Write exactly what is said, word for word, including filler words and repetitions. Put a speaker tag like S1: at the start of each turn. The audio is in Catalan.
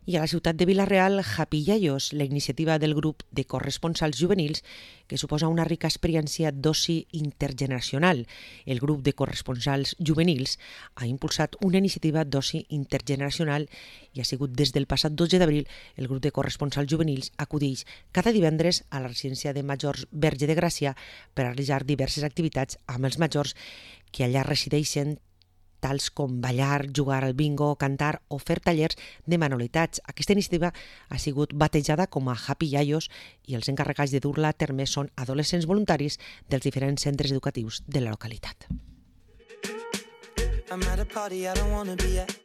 S1: I a la ciutat de Vila-real, Happy Yayos, la iniciativa del grup de corresponsals juvenils que suposa una rica experiència d'oci intergeneracional. El grup de corresponsals juvenils ha impulsat una iniciativa d'oci intergeneracional i ha sigut des del passat dotze d'abril el grup de corresponsals juvenils acudeix cada divendres a la residència de majors Verge de Gràcia per a realitzar diverses activitats amb els majors que allà resideixen, tals com ballar, jugar al bingo, cantar o fer tallers de manualitats. Aquesta iniciativa ha sigut batejada com a Happy Yayos i els encarregats de dur-la a terme són adolescents voluntaris dels diferents centres educatius de la localitat.